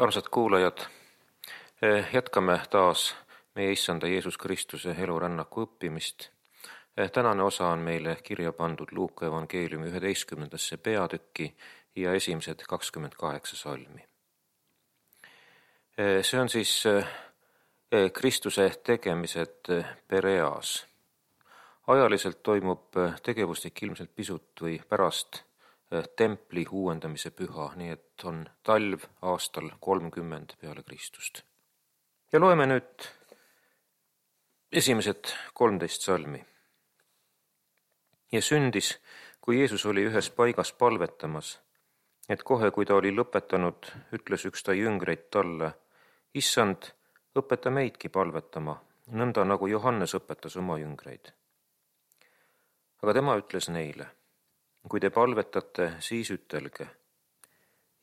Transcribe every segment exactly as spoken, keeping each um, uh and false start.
Armsad kuulajad, jätkame taas meie Issanda Jeesus Kristuse elurännaku õppimist. Tänane osa on meile kirja pandud Luuka evangeeliumi üheteistkümnendasse peatükki ja esimesed kakskümmend kaheksa salmi. See on siis Kristuse tegemised Pereas. Ajaliselt toimub tegevustik ilmselt pisut või pärast templi uuendamise püha, nii et on talv aastal kolmkümmend peale Kristust. Ja loeme nüüd esimesed kolmteist salmi. Ja sündis, kui Jeesus oli ühes paigas palvetamas, et kohe, kui ta oli lõpetanud, ütles üks ta jüngreid talle, Issand, õpeta meidki palvetama, nõnda nagu Johannes õpetas oma jüngreid. Aga tema ütles neile, kui te palvetate, siis ütelge,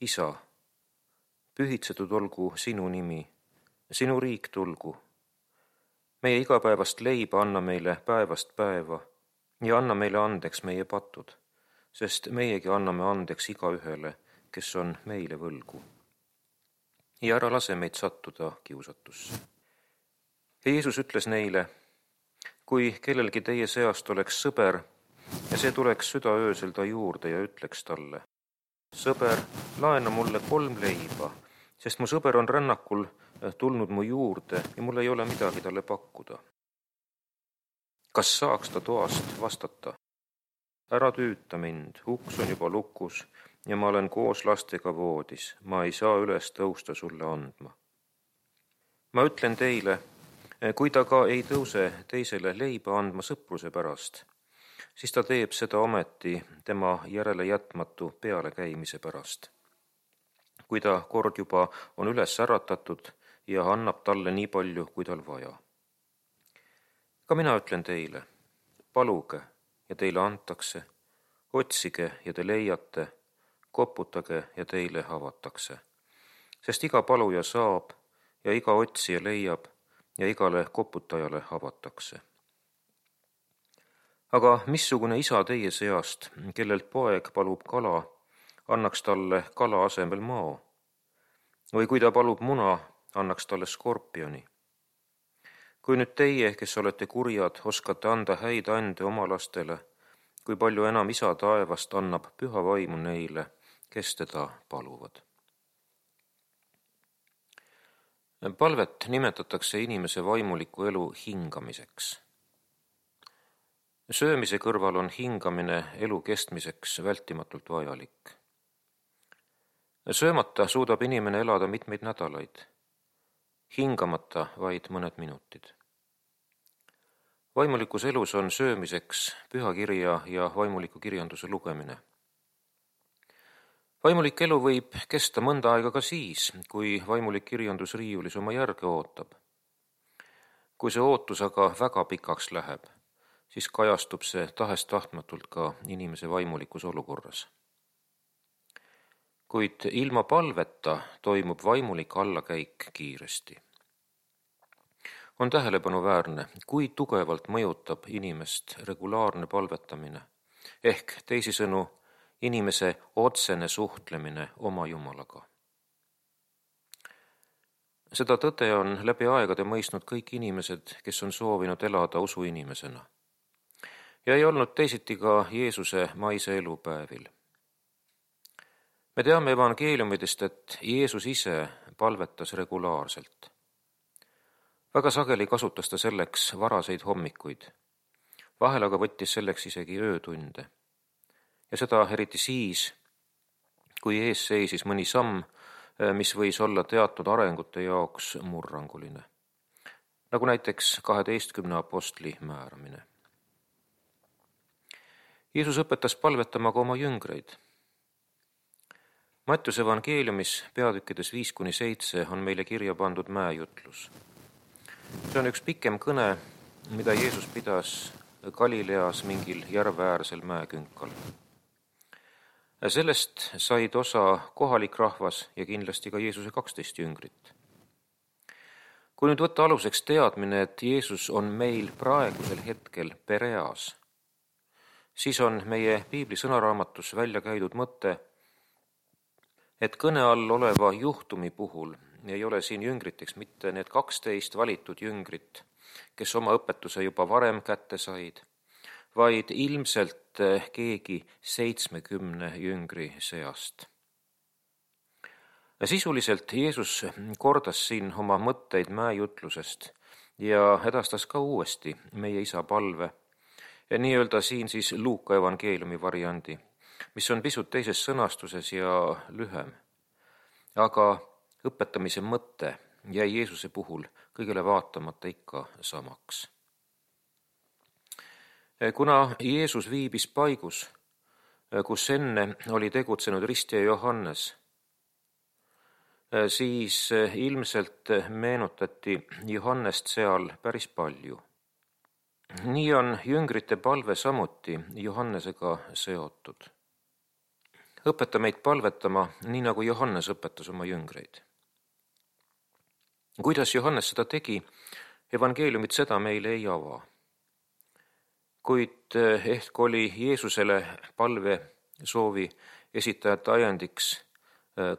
Isa, pühitsetud olgu sinu nimi, sinu riik tulgu. Meie igapäevast leiba anna meile päevast päeva ja anna meile andeks meie patud, sest meiegi anname andeks igaühele, kes on meile võlgu. Ja ära lase meid sattuda kiusatusse. Ja Jeesus ütles neile, kui kellelgi teie seast oleks sõber, ja see tuleks südaöösel ta juurde ja ütleks talle, sõber, laena mulle kolm leiba, sest mu sõber on rännakul tulnud mu juurde ja mul ei ole midagi talle pakkuda. Kas saaks ta toast vastata? Ära tüüta mind, uks on juba lukus ja ma olen koos lastega voodis, ma ei saa üles tõusta sulle andma. Ma ütlen teile, kui ta ka ei tõuse teisele leiba andma sõpruse pärast, siis ta teeb seda ometi tema järele jätmatu pealekäimise pärast. Kui ta kord juba on üles äratatud ja annab talle nii palju, kui tal vaja. Ka mina ütlen teile, paluge ja teile antakse, otsige ja te leiate, koputage ja teile avatakse. Sest iga paluja saab ja iga otsija leiab ja igale koputajale avatakse. Aga missugune isa teie seast, kellelt poeg palub kala, annaks talle kala asemel mao? Või kui ta palub muna, annaks talle skorpioni? Kui nüüd teie, kes olete kurjad, oskate anda häid ande oma lastele, kui palju enam isa taevast annab püha vaimu neile, kes teda paluvad. Palvet nimetatakse inimese vaimuliku elu hingamiseks. Söömise kõrval on hingamine elu kestmiseks vältimatult vajalik. Söömata suudab inimene elada mitmeid nädalaid, hingamata vaid mõned minutid. Vaimulikus elus on söömiseks pühakirja ja vaimuliku kirjanduse lugemine. Vaimulik elu võib kesta mõnda aega ka siis, kui vaimulik kirjandus riiulis oma järge ootab. Kui see ootus aga väga pikaks läheb, siis kajastub see tahest tahtmatult ka inimese vaimulikus olukorras. Kuid ilma palveta toimub vaimulik allakäik kiiresti. On tähelepanuväärne, kui tugevalt mõjutab inimest regulaarne palvetamine, ehk teisisõnu inimese otsene suhtlemine oma Jumalaga. Seda tõde on läbi aegade mõistnud kõik inimesed, kes on soovinud elada usuinimesena. Ja ei olnud teisiti ka Jeesuse maise elupäevil. Me teame evangeeliumidest, et Jeesus ise palvetas regulaarselt. Väga sageli kasutas ta selleks varaseid hommikuid. Vahel aga võttis selleks isegi öötunde. Ja seda eriti siis, kui ees seisis mõni samm, mis võis olla teatud arengute jaoks murranguline. Nagu näiteks kaheteistkümne apostli määramine. Jeesus õpetas palvetama ka oma jüngreid. Mattiuse evangeeliumis peatükkides viis kuni seitse on meile kirja pandud mäejutlus. See on üks pikem kõne, mida Jeesus pidas Galileas mingil järveäärsel mäekünkal. Sellest said osa kohalik rahvas ja kindlasti ka Jeesuse kaksteist jüngrit. Kui nüüd võtta aluseks teadmine, et Jeesus on meil praegusel hetkel Pereas, siis on meie piibli sõnaraamatus välja käidud mõte, et kõne all oleva juhtumi puhul ei ole siin jüngriteks mitte need kaksteist valitud jüngrit, kes oma õpetuse juba varem kätte said, vaid ilmselt keegi seitsmekümne jüngri seast. Sisuliselt Jeesus kordas siin oma mõtteid mäejutlusest ja edastas ka uuesti meie Isa palve, ja nii-öelda siin siis Luuka evangeeliumi variandi, mis on pisut teises sõnastuses ja lühem. Aga õpetamise mõte jäi Jeesuse puhul kõigele vaatamata ikka samaks. Kuna Jeesus viibis paigus, kus enne oli tegutsenud ristija Johannes, siis ilmselt meenutati Johannest seal päris palju. Nii on jüngrite palve samuti Johannesega seotud. Õpeta meid palvetama, nii nagu Johannes õpetas oma jüngreid. Kuidas Johannes seda tegi, evangeeliumid seda meile ei ava. Kuid ehk oli Jeesusele palve soovi esitajate ajendiks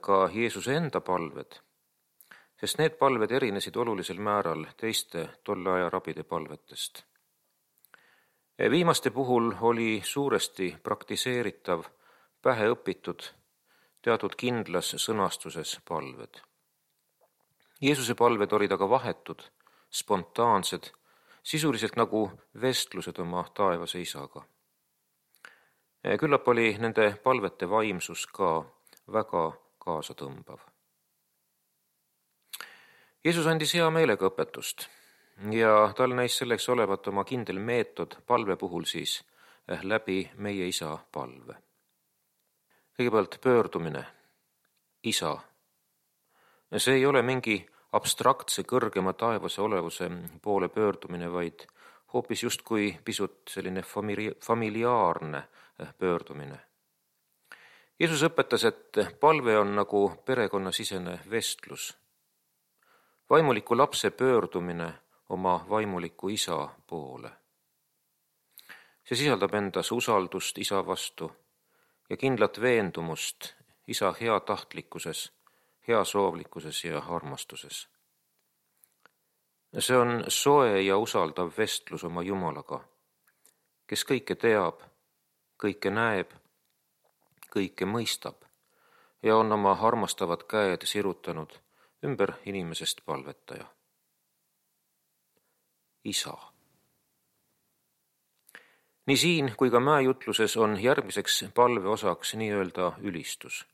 ka Jeesuse enda palved, sest need palved erinesid olulisel määral teiste tolle aja rabide palvetest. Viimaste puhul oli suuresti praktiseeritav, pähe õpitud, teatud kindlas sõnastuses palved. Jeesuse palved olid aga vahetud, spontaansed, sisuliselt nagu vestlused oma taevase Isaga. Küllap oli nende palvete vaimsus ka väga kaasatõmbav. Jeesus andis hea meelega õpetust ja tal näis selleks olevat oma kindel meetod palve puhul siis läbi meie Isa palve. Kõigepealt pöördumine, Isa. See ei ole mingi abstraktse kõrgema taevase olevuse poole pöördumine, vaid hoopis justkui pisut selline famili- familiaarne pöördumine. Jeesus õpetas, et palve on nagu perekonnasisene vestlus. Vaimuliku lapse pöördumine oma vaimuliku Isa poole. See sisaldab endas usaldust Isa vastu ja kindlat veendumust Isa heatahtlikkuses, heasoovlikkuses ja armastuses. See on soe ja usaldav vestlus oma Jumalaga, kes kõike teab, kõike näeb, kõike mõistab ja on oma armastavad käed sirutanud ümber inimesest palvetaja. Isa. Nii siin kui ka mäejutluses on järgmiseks palve osaks nii-öelda ülistus.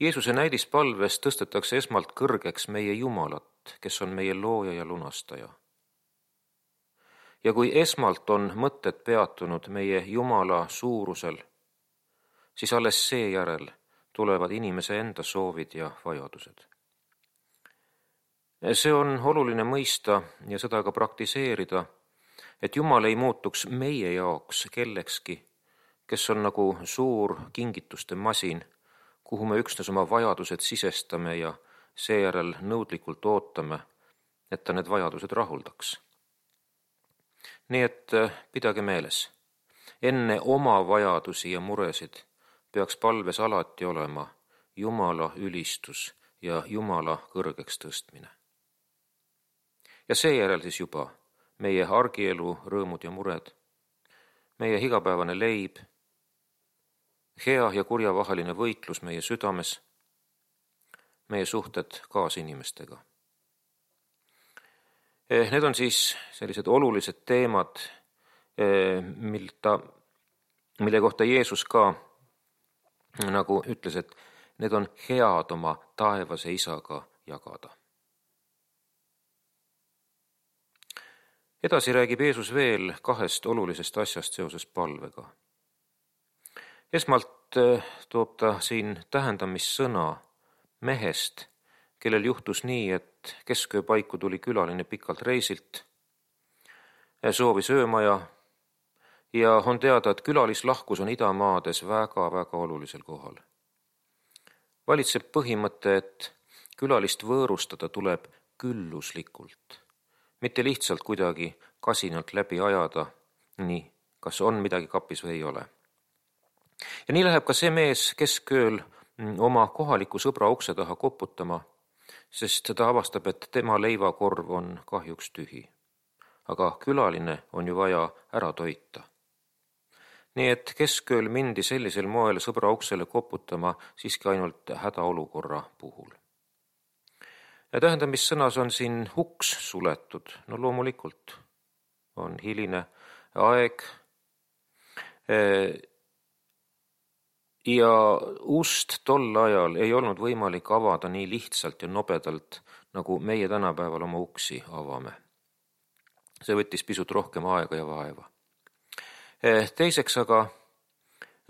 Jeesuse näidispalves tõstetakse esmalt kõrgeks meie Jumalat, kes on meie looja ja lunastaja. Ja kui esmalt on mõtted peatunud meie Jumala suurusel, siis alles seejärel tulevad inimese enda soovid ja vajadused. See on oluline mõista ja seda ka praktiseerida, et Jumal ei muutuks meie jaoks kellekski, kes on nagu suur kingituste masin, kuhu me üksnes oma vajadused sisestame ja seejärel nõudlikult ootame, et ta need vajadused rahuldaks. Nii et pidage meeles, enne oma vajadusi ja muresid peaks palves alati olema Jumala ülistus ja Jumala kõrgeks tõstmine. Ja seejärel siis juba meie argielu rõõmud ja mured, meie igapäevane leib, hea ja kurja vaheline võitlus meie südames, meie suhted kaasinimestega. Need on siis sellised olulised teemad, milta, mille kohta Jeesus ka nagu ütles, et need on head oma taevase Isaga jagada. Edasi räägib Jeesus veel kahest olulisest asjast seoses palvega. Esmalt toob ta siin tähendamissõna mehest, kellel juhtus nii, et kesköö paiku tuli külaline pikalt reisilt, soovis öömaja ja on teada, et külalislahkus on idamaades väga-väga olulisel kohal. Valitseb põhimõte, et külalist võõrustada tuleb külluslikult, mitte lihtsalt kuidagi kasinalt läbi ajada, nii, kas on midagi kapis või ei ole. Ja nii läheb ka see mees keskööl oma kohaliku sõbra ukse taha koputama, sest ta avastab, et tema leivakorv on kahjuks tühi. Aga külaline on ju vaja ära toita. Nii et keskööl mindi sellisel moel sõbra uksele koputama siiski ainult hädaolukorra puhul. Ja tähendamissõnas on siin uks suletud. No loomulikult on hiline aeg ja ust tol ajal ei olnud võimalik avada nii lihtsalt ja nobedalt, nagu meie tänapäeval oma uksi avame. See võttis pisut rohkem aega ja vaeva. Teiseks aga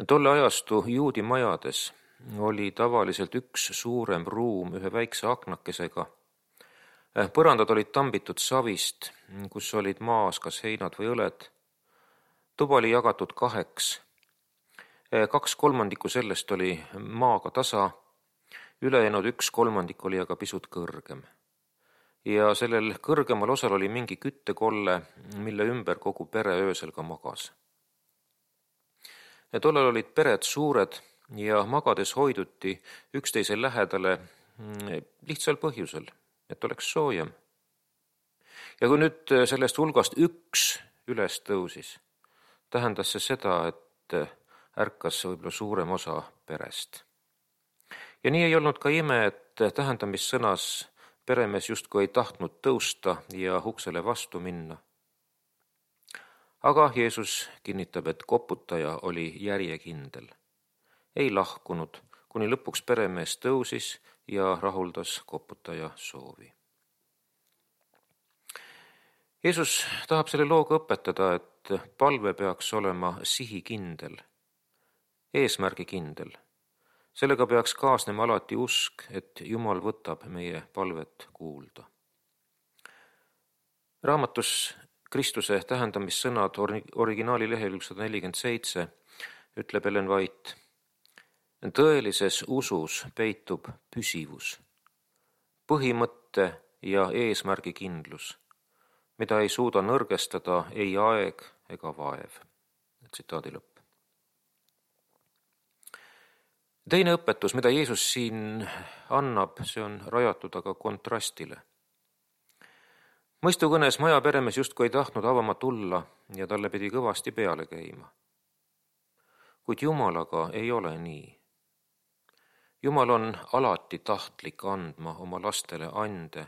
tolle ajastu juudi majades oli tavaliselt üks suurem ruum ühe väikse aknakesega. Põrandad olid tambitud savist, kus olid maas kas heinad või õled. Tuba oli jagatud kaheks. Kaks kolmandikku sellest oli maaga tasa, ülejäänud üks kolmandik oli aga pisut kõrgem. Ja sellel kõrgemal osal oli mingi küttekolle, mille ümber kogu pere öösel ka magas. Ja tollal olid pered suured ja magades hoiduti üksteise lähedale lihtsal põhjusel, et oleks soojem. Ja kui nüüd sellest hulgast üks üles tõusis, tähendas see seda, et ärkas võib-olla suurem osa perest. Ja nii ei olnud ka ime, et tähendamissõnas peremees justkui ei tahtnud tõusta ja uksele vastu minna. Aga Jeesus kinnitab, et koputaja oli järjekindel. Ei lahkunud, kuni lõpuks peremees tõusis ja rahuldas koputaja soovi. Jeesus tahab selle looga õpetada, et palve peaks olema sihikindel, eesmärgikindel. Sellega peaks kaasnema alati usk, et Jumal võtab meie palvet kuulda. Raamatus Kristuse tähendamissõnad originaali lehekülg sada nelikümmend seitse ütleb Ellen White: tõelises usus peitub püsivus, põhimõtte ja eesmärgikindlus, mida ei suuda nõrgestada ei aeg ega vaev. Tsitaadi lõpp. Teine õpetus, mida Jeesus siin annab, see on rajatud aga kontrastile. Mõistukõnes maja peremees justkui ei tahtnud avama tulla ja talle pidi kõvasti peale käima. Kuid Jumalaga ei ole nii. Jumal on alati tahtlik andma oma lastele ande,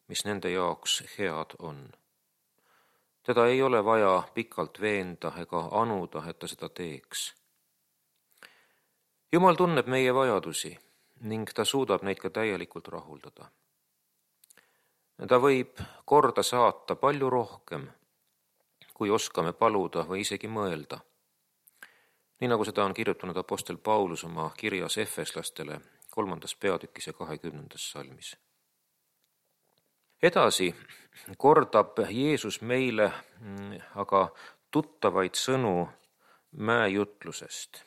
mis nende jaoks head on. Teda ei ole vaja pikalt veenda ega anuda, et ta seda teeks. Jumal tunneb meie vajadusi ning ta suudab neid ka täielikult rahuldada. Ta võib korda saata palju rohkem, kui oskame paluda või isegi mõelda. Nii nagu seda on kirjutanud apostel Paulus oma kirjas efeslastele kolmandas peatükis ja kahekümnendas salmis. Edasi kordab Jeesus meile aga tuttavaid sõnu mäejutlusest.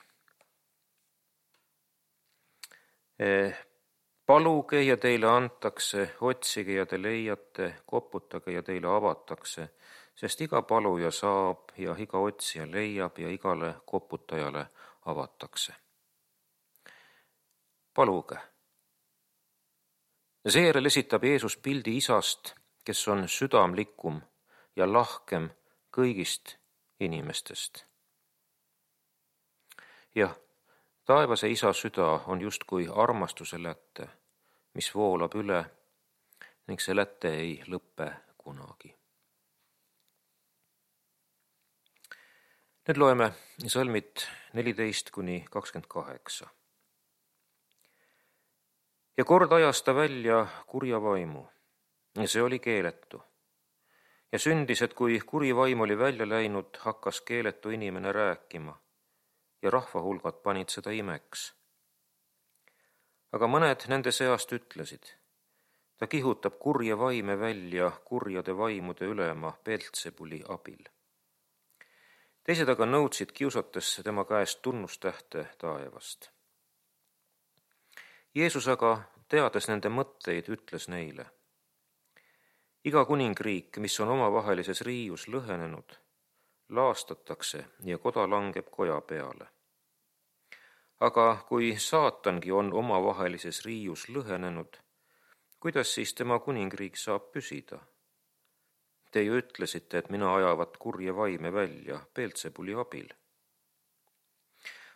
Paluge ja teile antakse, otsige ja te leiate, koputage ja teile avatakse, sest iga paluja saab ja iga otsija leiab ja igale koputajale avatakse. Paluge. Seejärel esitab Jeesus pildi isast, kes on südamlikum ja lahkem kõigist inimestest. Jah, taevase isa süda on justkui armastuse lätte, mis voolab üle ning see lätte ei lõppe kunagi. Nüüd loeme salmid neliteist kuni kakskümmend kaheksa. Ja kord ajas ta välja kurja vaimu ja see oli keeletu. Ja sündis, et kui kuri vaim oli välja läinud, hakkas keeletu inimene rääkima ja rahvahulgad panid seda imeks. Aga mõned nende seast ütlesid, ta kihutab kurja vaime välja kurjade vaimude ülema Beelzebuli abil. Teised aga nõudsid kiusates tema käest tunnustähte taevast. Jeesus aga, teades nende mõtteid, ütles neile: iga kuningriik, mis on omavahelises riius lõhenenud, laastatakse ja koda langeb koja peale. Aga kui saatangi on omavahelises riius lõhenenud, kuidas siis tema kuningriik saab püsida? Te ju ütlesite, et mina ajavat kurje vaime välja Beelzebuli abil.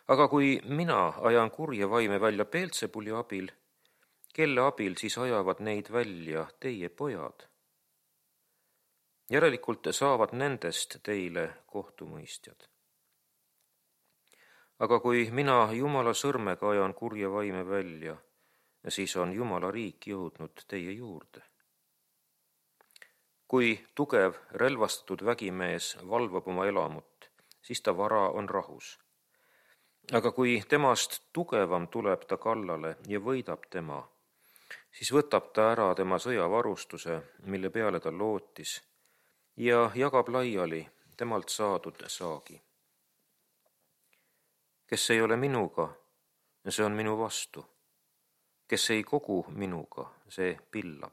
Aga kui mina ajan kurje vaime välja Beelzebuli abil, kelle abil siis ajavad neid välja teie pojad? Järelikult saavad nendest teile kohtumõistjad. Aga kui mina Jumala sõrmega ajan kurje vaime välja, siis on Jumala riik jõudnud teie juurde. Kui tugev relvastatud vägimees valvab oma elamut, siis ta vara on rahus. Aga kui temast tugevam tuleb ta kallale ja võidab tema, siis võtab ta ära tema sõjavarustuse, mille peale ta lootis, ja jagab laiali temalt saadud saagi. Kes ei ole minuga, see on minu vastu. Kes ei kogu minuga, see pillab.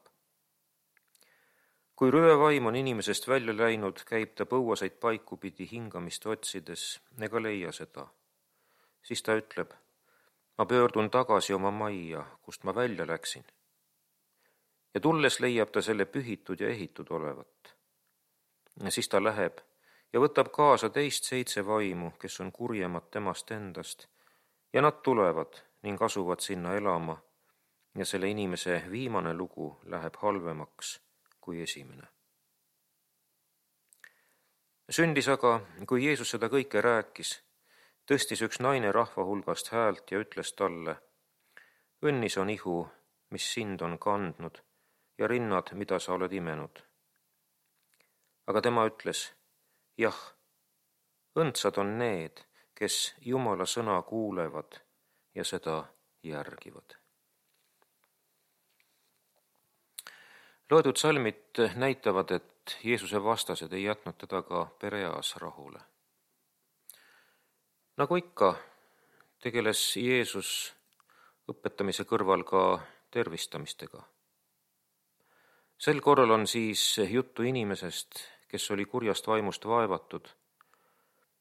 Kui röövaim on inimesest välja läinud, käib ta põuaseid paiku pidi hingamist otsides ega leia seda. Siis ta ütleb, ma pöördun tagasi oma majja, kust ma välja läksin. Ja tulles leiab ta selle pühitud ja ehitud olevat. Ja siis ta läheb ja võtab kaasa teist seitse vaimu, kes on kurjemad temast endast, ja nad tulevad ning asuvad sinna elama, ja selle inimese viimane lugu läheb halvemaks kui esimene. Sündis aga, kui Jeesus seda kõike rääkis, tõstis üks naine rahva hulgast häält ja ütles talle, õnnis on ihu, mis sind on kandnud, ja rinnad, mida sa oled imenud. Aga tema ütles, jah, õndsad on need, kes Jumala sõna kuulevad ja seda järgivad. Loodud salmid näitavad, et Jeesuse vastased ei jätnud teda ka Pereas rahule. Nagu ikka, tegeles Jeesus õpetamise kõrval ka tervistamistega. Sel korral on siis juttu inimesest, kes oli kurjast vaimust vaevatud,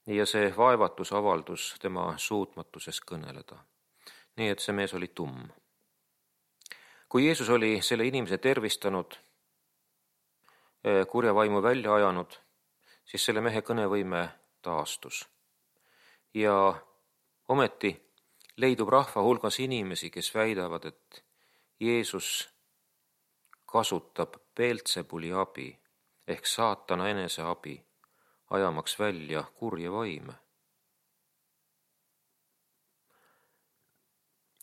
ja see vaevatus avaldus tema suutmatuses kõneleda. Nii et see mees oli tumm. Kui Jeesus oli selle inimese tervistanud, kurja vaimu välja ajanud, siis selle mehe kõnevõime taastus. Ja ometi leidub rahva hulgas inimesi, kes väidavad, et Jeesus kasutab Beelzebuli abi ehk saatana enese abi, ajamaks välja kurje vaime.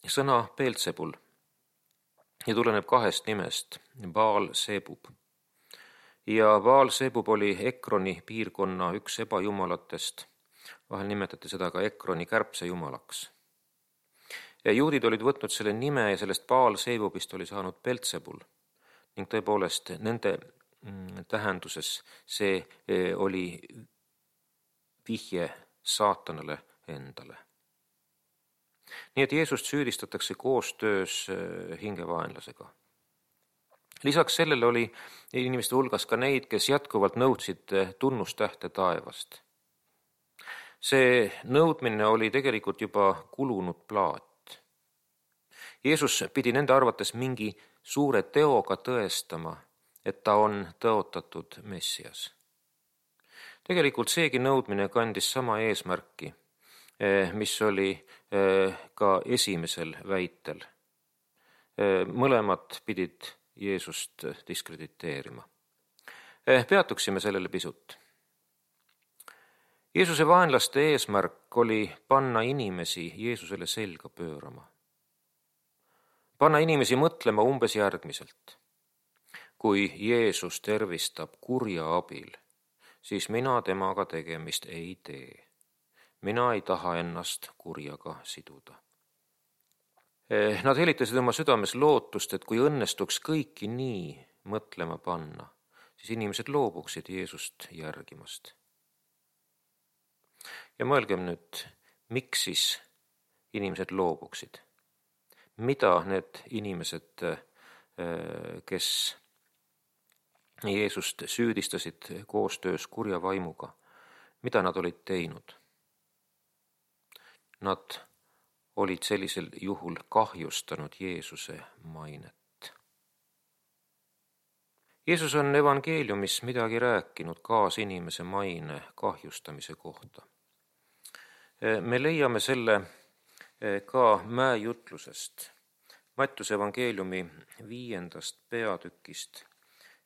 Sõna Beelzebul ja tuleneb kahest nimest, Baal-Zebub. Ja Baal-Zebub oli Ekroni piirkonna üks ebajumalatest, vahel nimetati seda ka Ekroni kärbse jumalaks. Ja juudid olid võtnud selle nime ja sellest Baal-Zebubist oli saanud Beelzebul ning tõepoolest nende tähenduses see oli vihje saatanale endale. Nii et Jeesust süüdistatakse koostöös hingevaenlasega. Lisaks sellele oli inimeste hulgas ka neid, kes jätkuvalt nõudsid tunnustähte taevast. See nõudmine oli tegelikult juba kulunud plaat. Jeesus pidi nende arvates mingi suure teoga tõestama, et ta on tõotatud Messias. Tegelikult seegi nõudmine kandis sama eesmärki, mis oli ka esimesel väitel. Mõlemad pidid Jeesust diskrediteerima. Peatuksime sellele pisut. Jeesuse vaenlaste eesmärk oli panna inimesi Jeesusele selga pöörama. Panna inimesi mõtlema umbes järgmiselt. Kui Jeesus tervistab kurja abil, siis mina temaga tegemist ei tee. Mina ei taha ennast kurjaga siduda. Nad helitasid oma südames lootust, et kui õnnestuks kõiki nii mõtlema panna, siis inimesed loobuksid Jeesust järgimast. Ja mõelgem nüüd, miks siis inimesed loobuksid? Mida need inimesed, kes Jeesust süüdistasid koostöös kurja vaimuga, mida nad olid teinud? Nad olid sellisel juhul kahjustanud Jeesuse mainet. Jeesus on evangeeliumis midagi rääkinud kaasinimese maine kahjustamise kohta. Me leiame selle ka mäejutlusest, Mattiuse evangeeliumi viiendast peatükist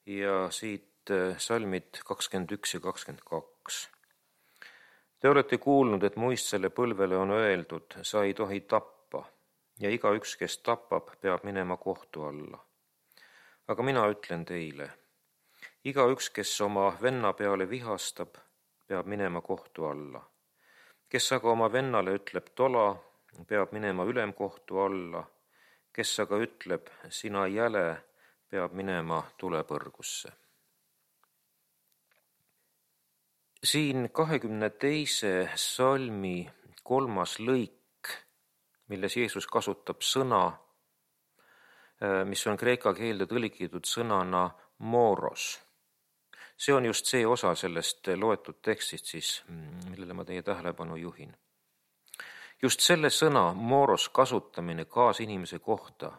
ja siit salmid kakskümmend üks ja kakskümmend kaks. Te olete kuulnud, et muistsele põlvele on öeldud, sa ei tohi tappa ja igaüks, kes tapab, peab minema kohtu alla. Aga mina ütlen teile, igaüks, kes oma venna peale vihastab, peab minema kohtu alla. Kes aga oma vennale ütleb tola, peab minema ülemkohtu alla. Kes aga ütleb, sina jäle, peab minema tulepõrgusse. Siin kahekümne teise salmi kolmas lõik, milles Jeesus kasutab sõna, mis on kreeka keelde tõlgitud sõnana moros. See on just see osa sellest loetud tekstist, siis, millele ma teie tähelepanu juhin. Just selle sõna moros kasutamine kaasinimese kohta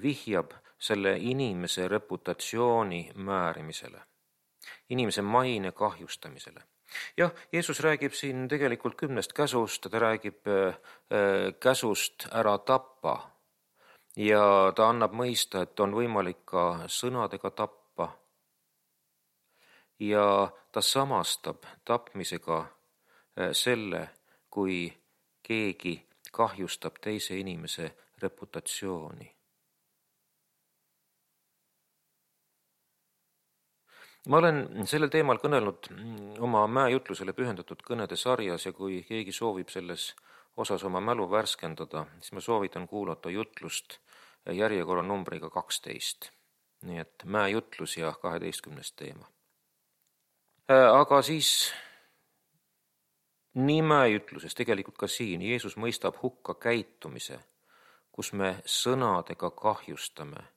vihjab selle inimese reputatsiooni määrimisele, inimese maine kahjustamisele. Jah, Jeesus räägib siin tegelikult kümnest käsust, ta räägib äh, käsust ära tappa ja ta annab mõista, et on võimalik ka sõnadega tappa ja ta samastab tapmisega äh, selle, kui keegi kahjustab teise inimese reputatsiooni. Ma olen sellel teemal kõnelnud oma mäejutlusele pühendatud kõnede sarjas ja kui keegi soovib selles osas oma mälu värskendada, siis ma soovitan kuulata jutlust järjekorra numbriga kaksteist. Nii et mäejutlus ja kaheteistkümnes teema. Aga siis nii mäejutluses, tegelikult ka siin, Jeesus mõistab hukka käitumise, kus me sõnadega kahjustame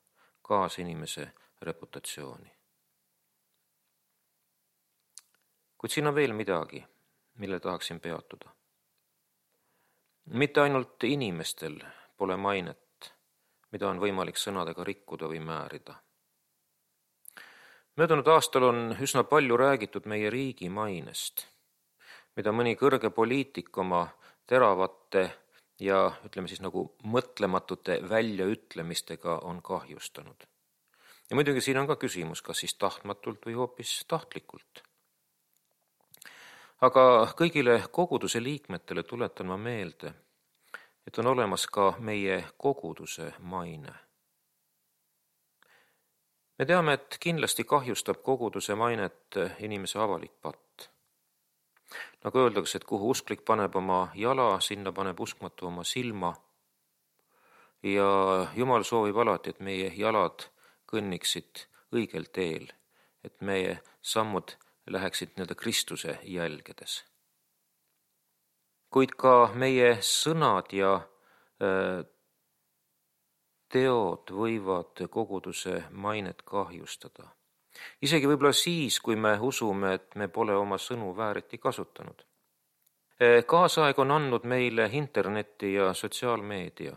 kaasinimese reputatsiooni. Kuid siin on veel midagi, mille tahaksin peatuda. Mitte ainult inimestel pole mainet, mida on võimalik sõnadega rikkuda või määrida. Möödunud aastal on üsna palju räägitud meie riigi mainest, mida mõni kõrge poliitik oma teravate ja ütleme siis nagu mõtlematute väljaütlemistega on kahjustanud. Ja muidugi siin on ka küsimus, kas siis tahtmatult või hoopis tahtlikult. Aga kõigile koguduse liikmetele tuletan ma meelde, et on olemas ka meie koguduse maine. Me teame, et kindlasti kahjustab koguduse mainet inimese avalik patt. Nagu öeldakse, et kuhu usklik paneb oma jala, sinna paneb uskmatu oma silma. Ja Jumal soovib alati, et meie jalad kõnniksid õigel teel, et meie sammud läheksid nii-öelda Kristuse jälgedes. Kuid ka meie sõnad ja teod võivad koguduse mainet kahjustada. Isegi võib-olla siis, kui me usume, et me pole oma sõnu vääriti kasutanud. Kaasaeg on andnud meile interneti ja sotsiaalmeedia.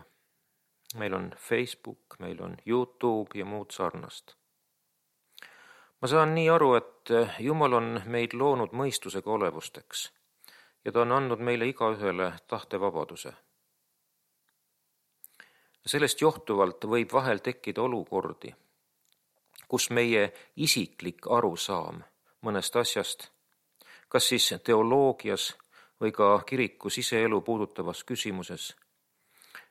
Meil on Facebook, meil on YouTube ja muud sarnast. Ma saan nii aru, et Jumal on meid loonud mõistusega olevusteks ja ta on andnud meile igaühele tahtevabaduse. Sellest johtuvalt võib vahel tekkida olukordi, kus meie isiklik arusaam mõnest asjast, kas siis teoloogias või ka kiriku siseelu puudutavas küsimuses,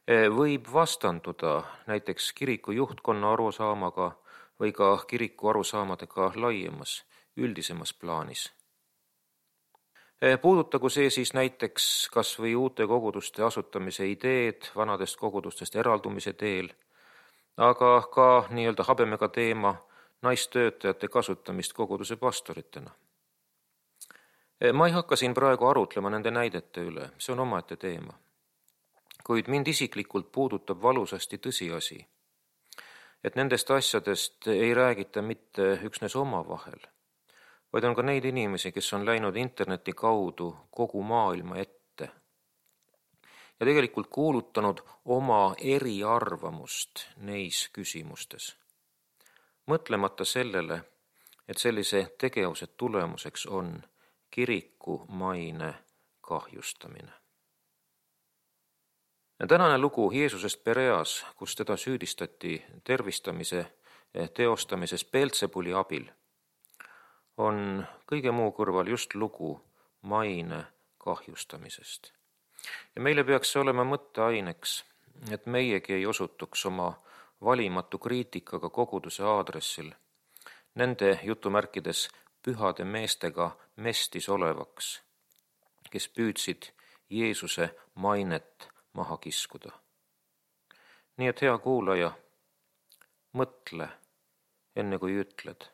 võib vastanduda näiteks kiriku juhtkonna arusaamaga või ka kiriku arusaamadega laiemas, üldisemas plaanis. Puudutagu see siis näiteks kas või uute koguduste asutamise ideed vanadest kogudustest eraldumise teel, aga ka nii-öelda habemega teema naistöötajate kasutamist koguduse pastoritena. Ma ei hakka siin praegu arutlema nende näidete üle, see on omaette teema. Kuid mind isiklikult puudutab valusasti tõsiasi, et nendest asjadest ei räägita mitte üksnes omavahel, vaid on ka neid inimesi, kes on läinud interneti kaudu kogu maailma ette. ja tegelikult kuulutanud oma eriarvamust neis küsimustes. Mõtlemata sellele, et sellise tegevuse tulemuseks on kiriku maine kahjustamine. Tänane lugu Jeesusest Pereas, kus teda süüdistati tervistamise teostamises Beelzebuli abil, on kõige muu kõrval just lugu maine kahjustamisest. Ja meile peaks see olema mõtteaineks, et meiegi ei osutuks oma valimatu kriitikaga koguduse aadressil nende jutumärkides pühade meestega mestis olevaks, kes püüdsid Jeesuse mainet maha kiskuda. Nii et hea kuulaja, mõtle enne kui ütled.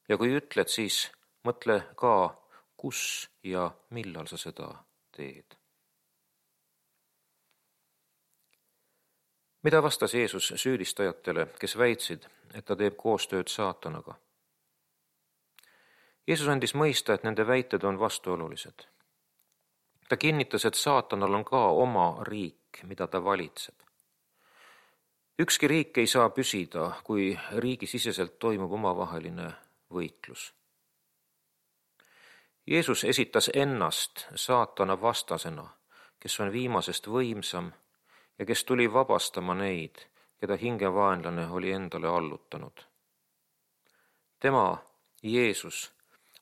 Ja kui ütled, siis mõtle ka, kus ja millal sa seda teed. Mida vastas Jeesus süüdistajatele, kes väitsid, et ta teeb koostööd saatanaga? Jeesus andis mõista, et nende väited on vastuolulised. Ta kinnitas, et saatanal on ka oma riik, mida ta valitseb. Ükski riik ei saa püsida, kui riigisiseselt toimub omavaheline võitlus. Jeesus esitas ennast saatana vastasena, kes on viimasest võimsam ja kes tuli vabastama neid, keda hingevaenlane oli endale allutanud. Tema, Jeesus,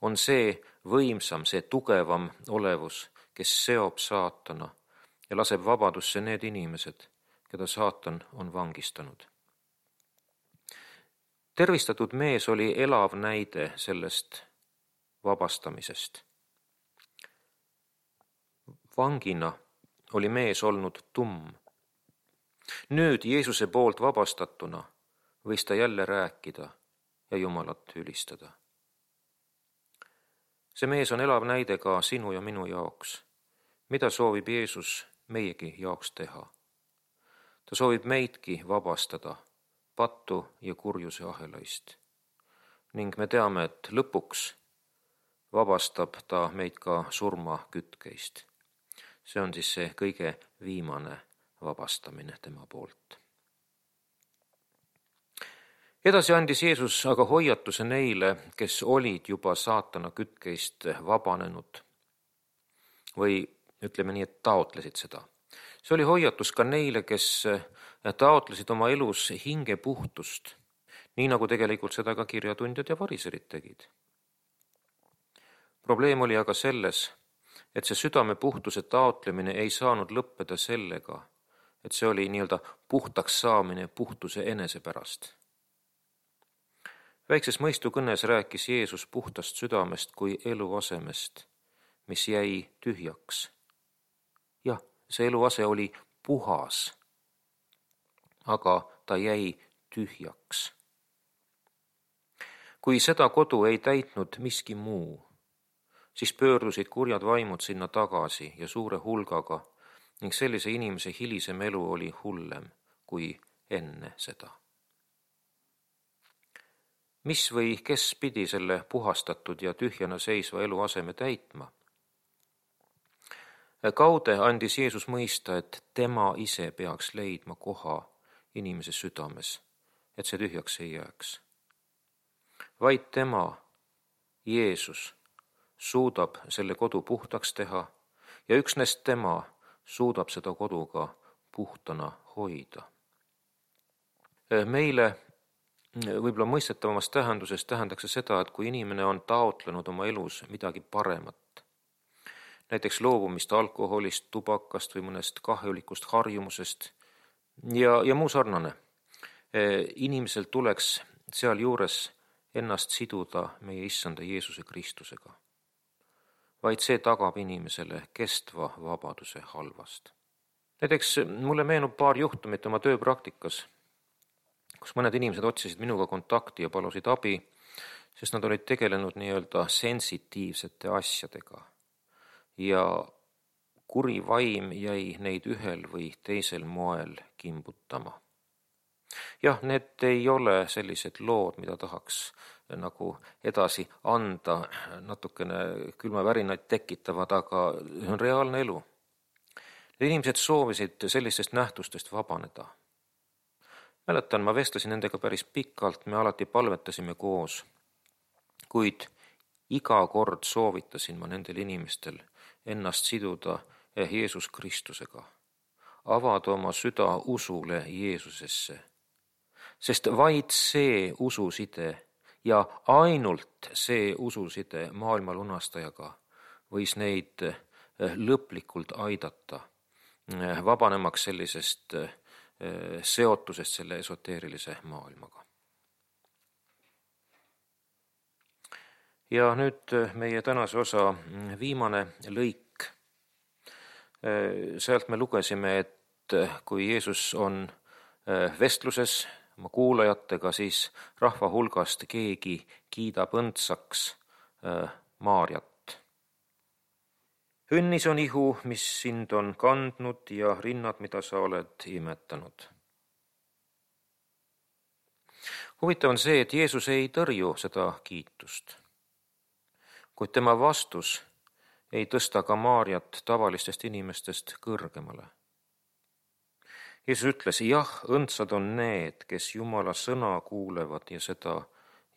on see võimsam, see tugevam olevus, kes seob saatana ja laseb vabadusse need inimesed, keda saatan on vangistanud. Tervistatud mees oli elav näide sellest vabastamisest. Vangina oli mees olnud tumm. Nüüd Jeesuse poolt vabastatuna võis ta jälle rääkida ja Jumalat ülistada. See mees on elav näide ka sinu ja minu jaoks. Mida soovib Jeesus meiegi jaoks teha? Ta soovib meidki vabastada pattu ja kurjuse ahelaist. Ning me teame, et lõpuks vabastab ta meid ka surma kütkeist. See on siis see kõige viimane vabastamine tema poolt. Edasi andis Jeesus aga hoiatuse neile, kes olid juba saatana kütkeist vabanenud või ütleme nii, et taotlesid seda. See oli hoiatus ka neile, kes taotlesid oma elus hinge puhtust, nii nagu tegelikult seda ka kirjatundjad ja variserid tegid. Probleem oli aga selles, et see südame puhtuse taotlemine ei saanud lõppeda sellega, et see oli nii-öelda puhtaks saamine puhtuse enese pärast. Väikses mõistukõnes rääkis Jeesus puhtast südamest kui eluasemest, mis jäi tühjaks. Jah, see eluase oli puhas, aga ta jäi tühjaks. Kui seda kodu ei täitnud miski muu, siis pöördusid kurjad vaimud sinna tagasi ja suure hulgaga ning sellise inimese hilisem elu oli hullem kui enne seda. Mis või kes pidi selle puhastatud ja tühjana seisva eluaseme täitma? Kaude andis Jeesus mõista, et tema ise peaks leidma koha inimese südames, et see tühjaks ei jääks. Vaid tema, Jeesus, suudab selle kodu puhtaks teha ja üksnes tema suudab seda kodu ka puhtana hoida. Meile võib-olla mõistetavamas tähenduses tähendaks seda, et kui inimene on taotlenud oma elus midagi paremat, näiteks loobumist alkoholist, tubakast või mõnest kahjulikust harjumusest ja, ja muu sarnane, inimesel tuleks seal juures ennast siduda meie issanda Jeesuse Kristusega. Vaid see tagab inimesele kestva vabaduse halvast. Näiteks mulle meenub paar juhtumit oma tööpraktikas, kus mõned inimesed otsisid minuga kontakti ja palusid abi, sest nad olid tegelenud nii-öelda sensitiivsete asjadega ja kuri vaim jäi neid ühel või teisel moel kimbutama. Jah, need ei ole sellised lood, mida tahaks nagu edasi anda, natukene külmavärinaid tekitavad, aga see on reaalne elu. inimesed soovisid sellistest nähtustest vabaneda. Mäletan, ma vestlesin nendega päris pikalt, me alati palvetasime koos, kuid iga kord soovitasin ma nendel inimestel ennast siduda Jeesus Kristusega, avada oma süda usule Jeesusesse, sest vaid see ususide ja ainult see ususide maailma lunastajaga võis neid lõplikult aidata, vabanemaks sellisest seotusest selle esoteerilise maailmaga. Ja nüüd meie tänase osa viimane lõik. Sealt me lugesime, et kui Jeesus on vestluses oma kuulajatega, siis rahva hulgast keegi kiidab õndsaks Maarjat. Õnnis on ihu, mis sind on kandnud ja rinnad, mida sa oled imetanud. Huvitav on see, et Jeesus ei tõrju seda kiitust, kuid tema vastus ei tõsta ka Maarjat tavalistest inimestest kõrgemale. Jeesus ütles, jah, õndsad on need, kes Jumala sõna kuulevad ja seda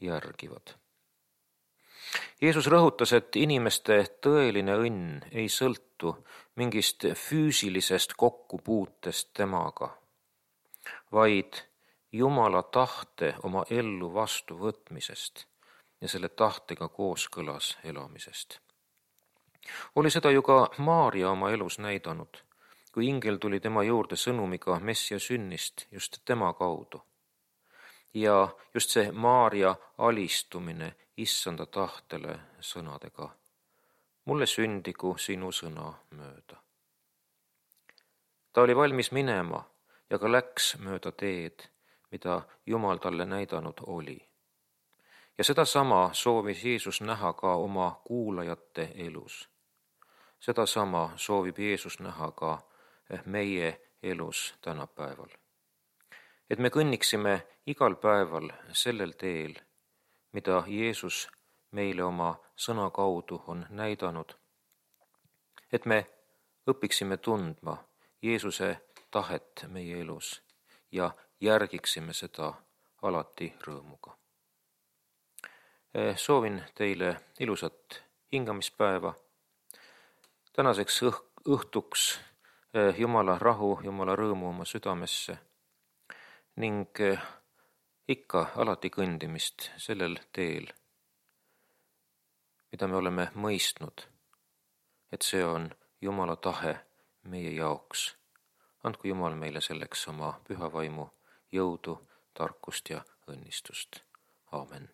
järgivad. Jeesus rõhutas, et inimeste tõeline õnn ei sõltu mingist füüsilisest kokkupuutest temaga, vaid Jumala tahte oma ellu vastu võtmisest ja selle tahtega kooskõlas elamisest. Oli seda ju ka Maarja oma elus näidanud, kui ingel tuli tema juurde sõnumiga Messia sünnist just tema kaudu. Ja just see Maarja alistumine issanda tahtele sõnadega, mulle sündigu sinu sõna mööda. Ta oli valmis minema ja ka läks mööda teed, mida Jumal talle näidanud oli. Ja sedasama soovis Jeesus näha ka oma kuulajate elus. Sedasama soovib Jeesus näha ka meie elus tänapäeval. Et me kõnniksime igal päeval sellel teel, mida Jeesus meile oma sõna kaudu on näidanud. Et me õpiksime tundma Jeesuse tahet meie elus ja järgiksime seda alati rõõmuga. Soovin teile ilusat hingamispäeva. Tänaseks õhtuks Jumala rahu, Jumala rõõmu oma südamesse ning ikka alati kõndimist sellel teel, mida me oleme mõistnud, et see on Jumala tahe meie jaoks. Andku Jumal meile selleks oma püha vaimu jõudu, tarkust ja õnnistust. Aamen.